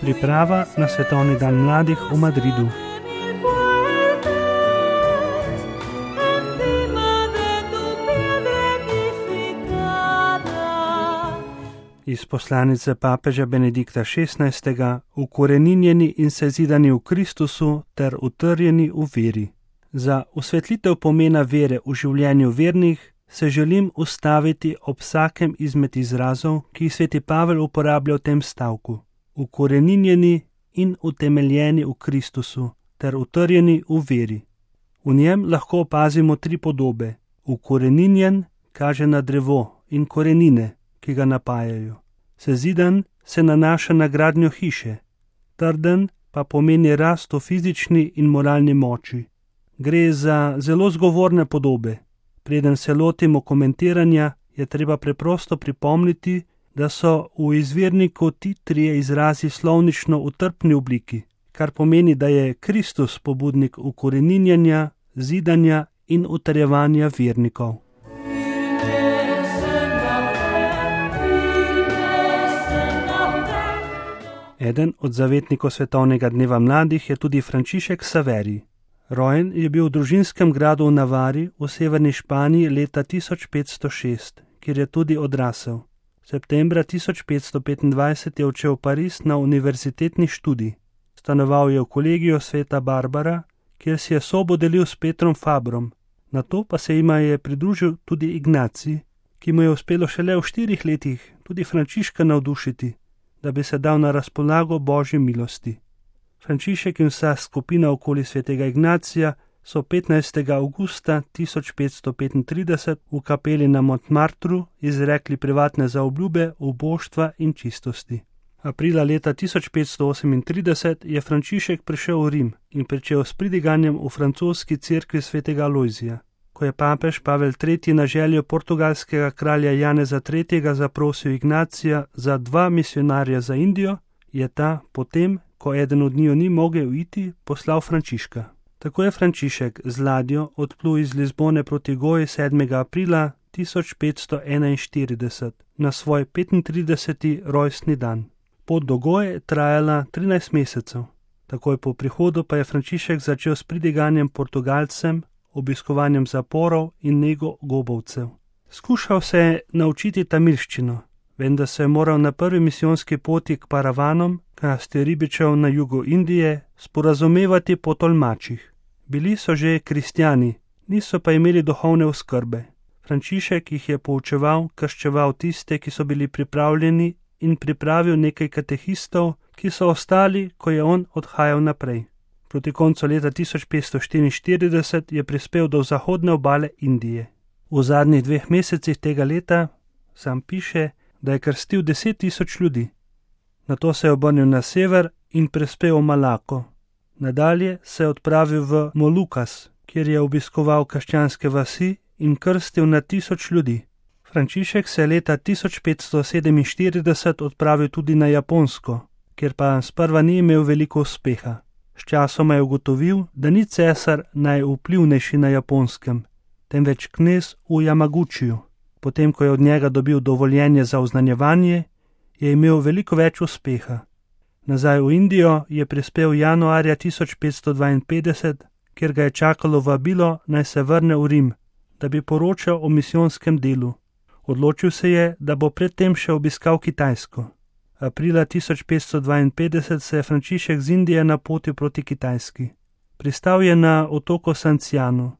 Priprava na Svetovni dan mladih v Madridu. Iz poslanice papeža Benedikta XVI. Ukoreninjeni in sezidani v Kristusu ter utrjeni v veri. Za osvetlitev pomena vere v življenju vernih se želim ustaviti ob vsakem izmed izrazov, ki jih sveti Pavel uporablja v tem stavku. Ukoreninjeni in utemeljeni v Kristusu ter utrjeni v veri. V njem lahko opazimo tri podobe. Ukoreninjen kaže na drevo in korenine, ki ga napajajo. Sezidan se nanaša na gradnjo hiše, trden pa pomeni rast v fizični in moralni moči. Gre za zelo zgovorne podobe. Preden se lotimo komentiranja, je treba preprosto pripomniti, da so v izvirniku ti trije izrazi slovnično v trpni obliki, kar pomeni, da je Kristus pobudnik ukoreninjanja, zidanja in utrjevanja vernikov. Eden od zavetnikov Svetovnega dneva mladih je tudi Frančišek Saveri. Rojen je bil v družinskem gradu v Navari v severni Španiji leta 1506, kjer je tudi odrasel. Septembra 1525 je odšel v Pariz na univerzitetni študij. Stanoval je v kolegiju sveta Barbara, kjer si je sobo delil s Petrom Fabrom. Nato pa se jima je pridružil tudi Ignacij, ki mu je uspelo šele v 4 letih tudi Frančiška navdušiti, da bi se dal na razpolago Božji milosti. Frančišek in vsa skupina okoli svetega Ignacija so 15. avgusta 1535 v kapeli na Montmartru izrekli privatne zaobljube uboštva in čistosti. Aprila leta 1538 je Frančišek prišel v Rim in pričel s pridiganjem v francoski cerkvi svetega Alojzija. Ko je papež Pavel III. Na željo portugalskega kralja Janeza III. Zaprosil Ignacija za 2 misionarja za Indijo, je ta potem, ko eden od njiju ni mogel iti, poslal Frančiška. Tako je Frančišek z ladjo odplul iz Lizbone proti Goji 7. aprila 1541 na svoj 35. rojstni dan. Pot do Goje je trajala 13 mesecev. Takoj po prihodu pa je Frančišek začel s pridiganjem Portugalcem, obiskovanjem zaporov in nego gobovcev. Skušal se je naučiti tamilščino, vendar se je moral na prvi misijonski poti k Paravanom, kasti ribičev na jugu Indije, sporazumevati po tolmačih. Bili so že kristjani, niso pa imeli duhovne oskrbe. Frančišek jih je poučeval, krščeval tiste, ki so bili pripravljeni, in pripravil nekaj katehistov, ki so ostali, ko je on odhajal naprej. Proti koncu leta 1544 je prispel do zahodne obale Indije. V zadnjih 2 mesecih tega leta, sam piše, da je krstil 10.000 ljudi. Nato se je obrnil na sever in prispel v Malako. Nadalje se je odpravil v Molukas, kjer je obiskoval krščanske vasi in krstil na 1000 ljudi. Frančišek se je leta 1547 odpravil tudi na Japonsko, kjer pa sprva ni imel veliko uspeha. Sčasoma je ugotovil, da ni cesar najvplivnejši na Japonskem, temveč knez v Jamagučiju. Potem, ko je od njega dobil dovoljenje za oznanjevanje, je imel veliko več uspeha. Nazaj v Indijo je prispel januarja 1552, kjer ga je čakalo vabilo, naj se vrne v Rim, da bi poročal o misijonskem delu. Odločil se je, da bo predtem še obiskal Kitajsko. Aprila 1552 se je Frančišek z Indije napotil proti Kitajski. Pristal je na otoku Sancianu.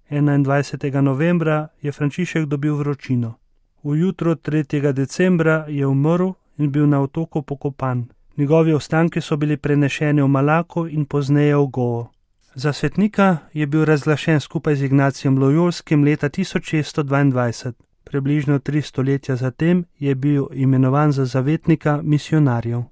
21. novembra je Frančišek dobil vročino. V jutro 3. decembra je umrl in bil na otoku pokopan. Njegovi ostanki so bili prenešeni v Malako in pozneje v Goa. Za svetnika je bil razglašen skupaj z Ignacijem Lojolskim leta 1622. Približno 3 stoletja zatem je bil imenovan za zavetnika misionarjev.